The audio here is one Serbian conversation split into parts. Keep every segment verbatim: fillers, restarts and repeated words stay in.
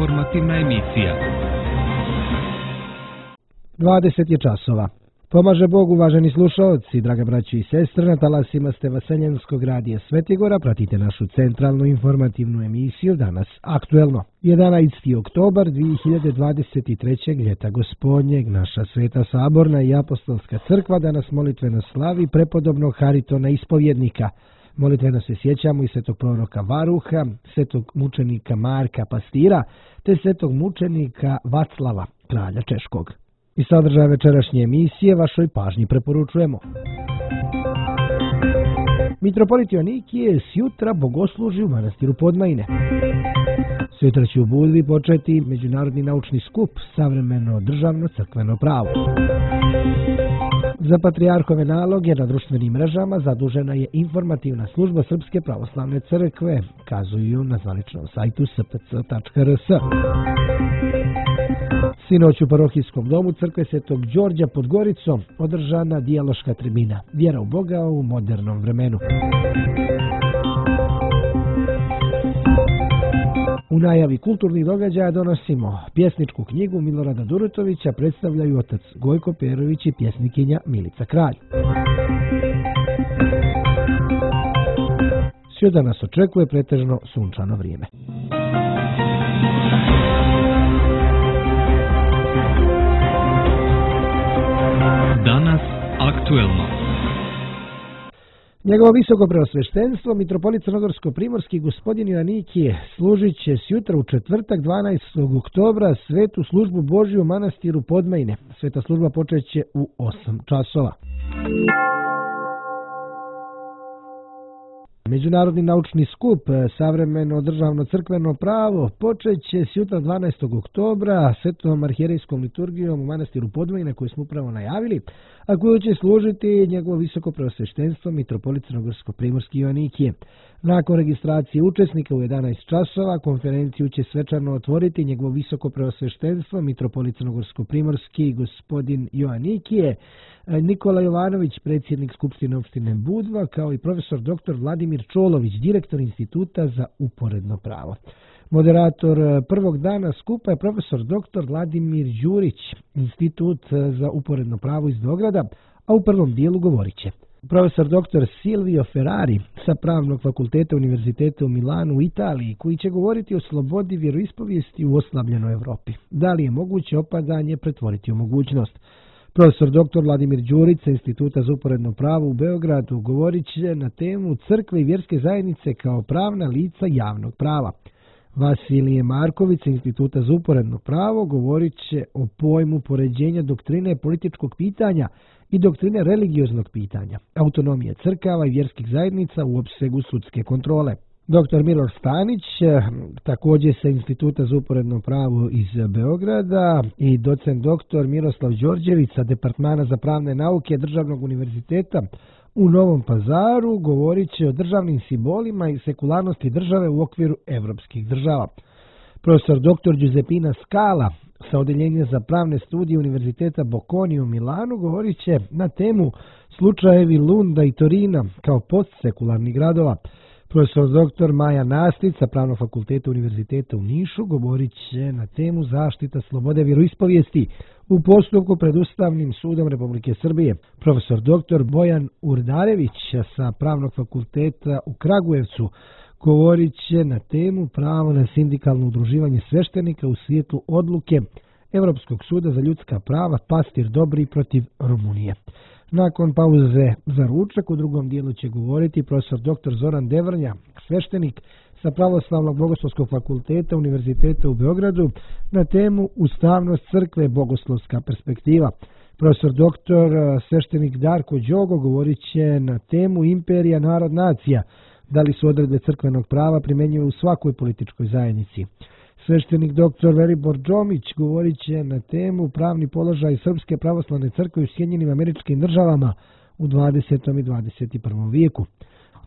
informativna emisija. dvadeset je časova. Pomaže Bog, uvaženi slušaoci, draga braći i sestre, na talasima ste Vaseljenskog radija Svetigora, pratite našu centralnu informativnu emisiju danas aktuelno. jedanaesti oktobar dvije hiljade dvadeset treće. ljeta gospodnjeg, naša Sveta Saborna i Apostolska crkva danas molitveno slavi prepodobnog Haritona ispovjednika. Molitveno se sjećamo i svetog proroka Varuha, svetog mučenika Marka Pastira, te svetog mučenika Vaclava, kralja Češkog. I sadržaj večerašnje emisije vašoj pažnji preporučujemo. Mitropolit Joanikije sjutra bogosluži u manastiru Podmajine. Sutra će u Budvi početi Međunarodni naučni skup Savremeno državno crkveno pravo. Za patrijarhove naloge na društvenim mrežama zadužena je informativna služba Srpske pravoslavne crkve, kazuju na zvaničnom sajtu s p c tačka r s. Sinoć u parohijskom domu crkve Svetog Đorđa pod Goricom održana dijaloška tribina Vjera u Boga u modernom vremenu. U najavi kulturnih događaja donosimo pjesničku knjigu Milorada Durutovića, predstavljaju otac Gojko Perović i pjesnikinja Milica Kralj. Sjuda nas očekuje pretežno sunčano vrijeme. Danas aktuelno. Njegovo visoko preosveštenstvo, mitropolit Crnogorsko-primorski gospodin Joanikije, služit će sjutra u četvrtak dvanaestog oktobra svetu službu Božju u manastiru Podmajine. Sveta služba počeće u osam časova. Međunarodni naučni skup Savremeno državno crkveno pravo počeće sjutra dvanaestog oktobra svetom arhijerejskom liturgijom u manastiru Podmajine koju smo upravo najavili, a koju će služiti njegovo visoko preosveštenstvo mitropolit Crnogorsko-primorski Joanikije. Nakon registracije učesnika u jedanaest časova konferenciju će svečano otvoriti njegovo visoko preosveštenstvo mitropolit Crnogorsko-primorski gospodin Joanikije, Nikola Jovanović, predsjednik Skupštine opštine Budva, kao i profesor doktor Vladimir Čolović, direktor Instituta za uporedno pravo. Moderator prvog dana skupa je profesor doktor Vladimir Đurić, Institut za uporedno pravo iz Beograda, a u prvom dijelu govorit će profesor doktor Silvio Ferrari sa Pravnog fakulteta Univerziteta u Milanu u Italiji, koji će govoriti o slobodi vjeroispovijesti u oslabljenoj Evropi. Da li je moguće opadanje pretvoriti u mogućnost? Profesor doktor Vladimir Đurić sa Instituta za uporedno pravo u Beogradu govorit će na temu crkve i vjerske zajednice kao pravna lica javnog prava. Vasilije Marković sa Instituta za uporedno pravo govorit će o pojmu poređenja doktrine političkog pitanja i doktrine religioznog pitanja, autonomije crkava i vjerskih zajednica u opsegu sudske kontrole. Doktor Milor Stanić, također sa Instituta za uporedno pravo iz Beograda, i docent doktor Miroslav Đorđević sa Departmana za pravne nauke Državnog univerziteta u Novom Pazaru govorit će o državnim simbolima i sekularnosti države u okviru evropskih država. Profesor doktor Giuseppina Scala sa Odeljenja za pravne studije Univerziteta Bocconi u Milanu govorit će na temu slučajevi Lunda i Torina kao postsekularnih gradova. Profesor doktor Maja Nastic sa Pravnog fakulteta Univerziteta u Nišu govorit će na temu zaštita slobode vjeroispovijesti u postupku pred Ustavnim sudom Republike Srbije. Profesor doktor Bojan Urdarević sa Pravnog fakulteta u Kragujevcu govorit će na temu pravo na sindikalno udruživanje sveštenika u svijetlu odluke Europskog suda za ljudska prava Pastir Dobri protiv Rumunije. Nakon pauze za ručak u drugom dijelu će govoriti profesor doktor Zoran Devrnja, sveštenik sa Pravoslavnog bogoslovskog fakulteta Univerziteta u Beogradu, na temu Ustavnost crkve, bogoslovska perspektiva. Profesor doktor sveštenik Darko Đogo govorit će na temu Imperija, narod, nacija, da li su odredbe crkvenog prava primjenjive u svakoj političkoj zajednici. Sveštenik doktor Velibor Džomić govorit će na temu pravni položaj Srpske pravoslavne crkve u Sjedinjenim Američkim Državama u dvadesetom i dvadeset prvom vijeku.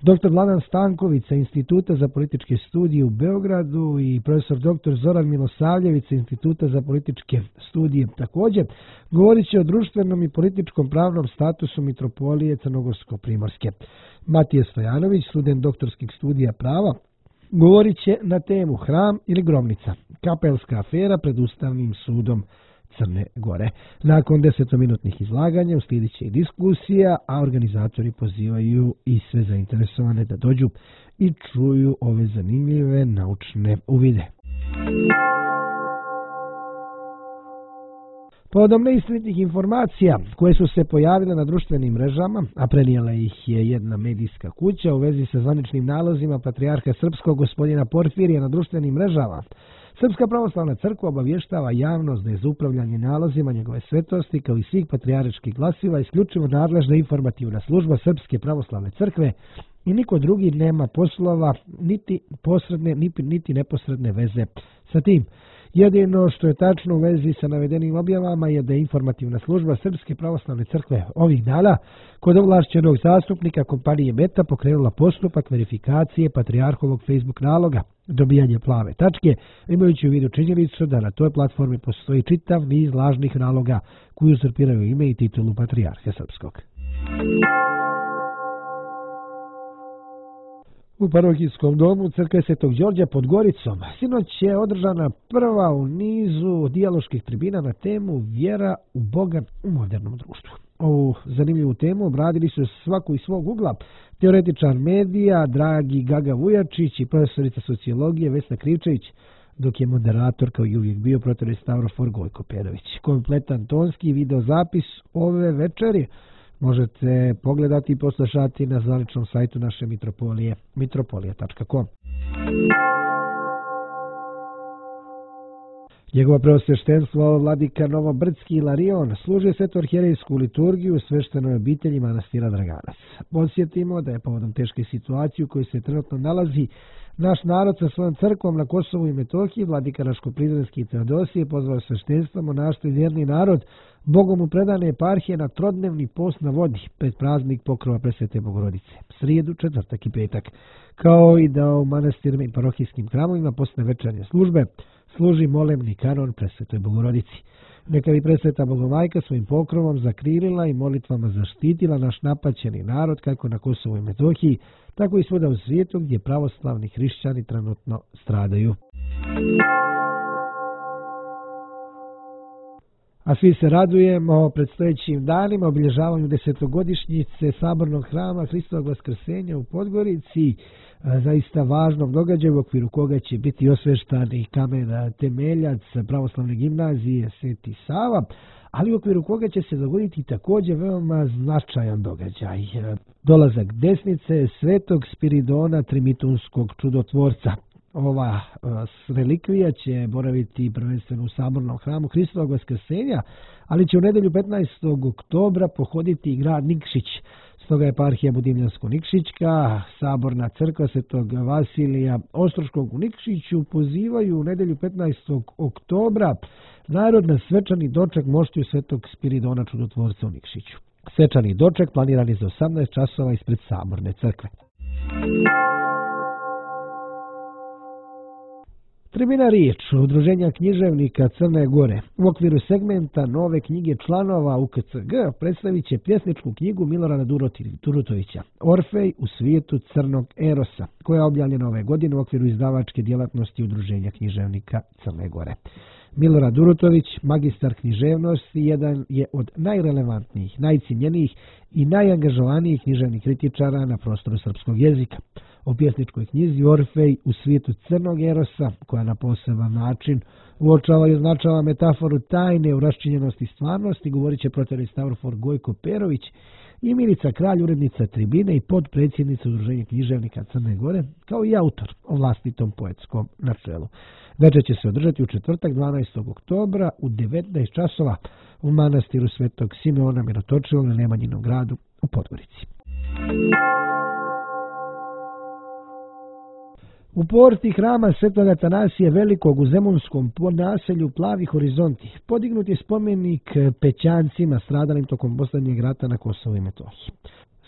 Doktor Vladan Stanković sa Instituta za političke studije u Beogradu i profesor doktor Zoran Milosavljević sa Instituta za političke studije također govorit će o društvenom i političkom pravnom statusu mitropolije Crnogorsko-primorske. Matija Stojanović, student doktorskih studija prava govorit će na temu Hram ili grobnica, kapelska afera pred Ustavnim sudom Crne Gore. Nakon desetominutnih izlaganja uslijedit će i diskusija, a organizatori pozivaju i sve zainteresovane da dođu i čuju ove zanimljive naučne uvide. Povodom neistinitih informacija koje su se pojavile na društvenim mrežama, a prenijela ih je jedna medijska kuća u vezi sa zvaničnim nalozima patrijarha srpskog gospodina Porfirija na društvenim mrežama, Srpska pravoslavna crkva obavještava javnost da je za upravljanje nalozima njegove svetosti kao i svih patrijarških glasila isključivo nadležna informativna služba Srpske pravoslavne crkve i niko drugi nema poslova niti posredne niti neposredne veze sa tim. Jedino što je tačno u vezi sa navedenim objavama je da je informativna služba Srpske pravoslavne crkve ovih dana kod ovlašćenog zastupnika kompanije Meta pokrenula postupak verifikacije patrijarhovog Facebook naloga, dobijanje plave tačke, imajući u vidu činjenicu da na toj platformi postoji čitav niz lažnih naloga koji uzurpiraju ime i titulu patrijarha srpskog. U parohijskom domu Crkve Svetog Đorđa pod Goricom sinoć je održana prva u nizu dijaloških tribina na temu Vjera u Boga u modernom društvu. Ovu zanimljivu temu obradili su svaku iz svog ugla teoretičar medija Dragi Gaga Vujačić i profesorica sociologije Vesna Krivčević, dok je moderator kao i uvijek bio prof. Stavrofor Gojko Perović. Kompletan tonski videozapis ove večeri možete pogledati i poslušati na zvaničnom sajtu naše mitropolije mitropolija tačka com. Njegovo preosveštenstvo vladika Novobrdski Ilarion služi sveto-arhijerejsku liturgiju sveštenoj obitelji manastira Draganac. Podsjetimo da je povodom teške situacije u kojoj se trenutno nalazi naš narod sa svojom crkvom na Kosovu i Metohiji, vladika Raško-Prizrenski Teodosije pozvao sveštenstvo, monaštvo i vjerni narod Bogom u predane eparhije na trodnevni post na vodi pred praznik pokrova Presvete Bogorodice, srijedu, četvrtak i petak, kao i da u manastirima i parohijskim hramovima posle večernje službe služi molemni kanon Presvetoj Bogorodici. Neka bi Presveta Bogomajka svojim pokrovom zakrilila i molitvama zaštitila naš napaćeni narod kako na Kosovu i Metohiji, tako i svuda u svijetu gdje pravoslavni hrišćani trenutno stradaju. A svi se radujemo predstojećim danima obilježavanju desetogodišnjice Sabornog hrama Hristovog Vaskrsenja u Podgorici, zaista važnom događaju u okviru koga će biti osveštani kamen temeljac pravoslavne gimnazije Sveti Sava, ali u okviru koga će se dogoditi također veoma značajan događaj. Dolazak desnice Svetog Spiridona Trimitunskog čudotvorca. Ova relikvija će boraviti prvenstveno u Sabornom hramu Hristovog Vaskrsenja, ali će u nedelju petnaestog oktobra pohoditi i grad Nikšić. Stoga je eparhija Budimljansko-Nikšićka, Saborna crkva Svetog Vasilija Ostroškog u Nikšiću pozivaju u nedelju petnaestog oktobra narod na svečani doček moštiju Svetog Spiridona čudotvorca u Nikšiću. Svečani doček planiran je za osamnaest časova ispred Saborne crkve. Tribina Riječ, Udruženja književnika Crne Gore, u okviru segmenta nove knjige članova U K C G predstavit će pjesničku knjigu Milorada Durutovića Orfej u svijetu crnog erosa, koja je objavljena ove godine u okviru izdavačke djelatnosti Udruženja književnika Crne Gore. Milorad Durutović, magistar književnosti, jedan je od najrelevantnijih, najcijenjenijih i najangažovanijih književnih kritičara na prostoru srpskog jezika. O pjesničkoj knjizi Orfej u svijetu crnog erosa, koja na poseban način uočava i označava metaforu tajne u raščinjenosti stvarnosti, govorit će prof. Stavrofor Gojko Perović i Milica Kralj, urednica Tribine i podpredsjednica Udruženja književnika Crne Gore, kao i autor o vlastitom poetskom načelu. Večer će se održati u četvrtak dvanaestog oktobra u devetnaest časova u manastiru Svetog Simeona Mirotočivog na Nemanjinom gradu u Podgorici. U porti hrama Svetog Atanasija Velikog u Zemunskom naselju Plavi horizonti podignut je spomenik Pećancima stradalim tokom posljednjeg rata na Kosovu i Metohiji.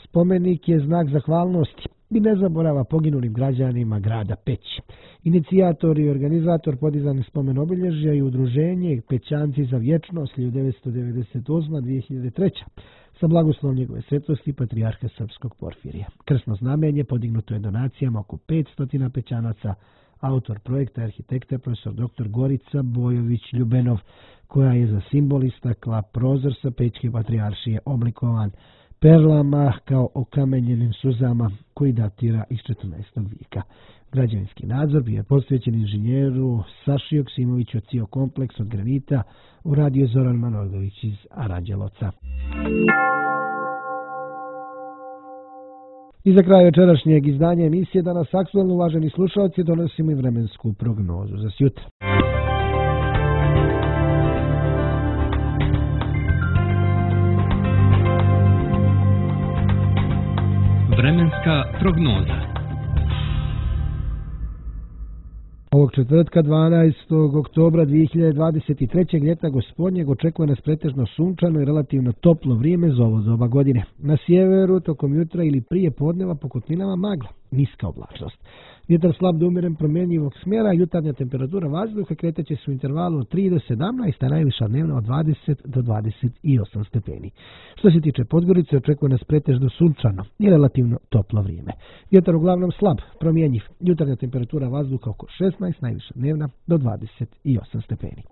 Spomenik je znak zahvalnosti i ne zaborava poginulim građanima grada Peći. Inicijator i organizator podizanja spomen obilježja i udruženje Pećanci za vječnost hiljadu devetsto devedeset osma do dvije hiljade treće. sa blagoslovom njegove svetosti patrijarha srpskog Porfirija. Krsno znamenje podignuto je donacijama oko petsto pećanaca. Autor projekta je arhitekta profesor doktor Gorica Bojović-Ljubenov, koja je za simbol istakla prozor sa Pećke patrijaršije oblikovan perlama kao okamenjenim suzama koji datira iz četrnaestog vijeka. Građevinski nadzor bio je posvećen inženjeru Saši Joksimoviću od C I O kompleks od granita, uradio Zoran Manojlović iz Aranđelovca. I za kraj večerašnjeg izdanja emisije Danas aktuelno, uvaženi slušalci, donosimo i vremensku prognozu za sjutra. Vremenska prognoza. Ovog četvrtka dvanaestog oktobra dvije hiljade dvadeset treće. ljeta gospodnjeg očekuje nas pretežno sunčano i relativno toplo vrijeme za ovo doba godine. Na sjeveru tokom jutra ili prije podneva po kotlinama magla, niska oblačnost. Vjetar slab do umjeren promjenjivog smjera, jutarnja temperatura vazduha kretaće se u intervalu od tri do sedamnaest, a najviša dnevna od dvadeset do dvadeset osam stepeni. Što se tiče Podgorice, očekuje nas pretežno sunčano i relativno toplo vrijeme. Vjetar uglavnom slab, promjenjiv, jutarnja temperatura vazduha oko šesnaest, najviša dnevna do dvadeset osam stepeni.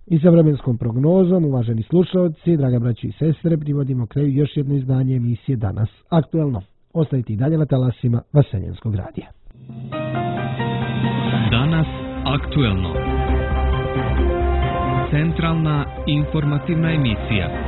I sa vremenskom prognozom, uvaženi slušalci, draga braći i sestre, privodimo kraju još jedno izdanje emisije Danas aktuelno. Ostanite i dalje na talasima Vaseljenskog radija. Danas aktuelno. Centralna informativna emisija.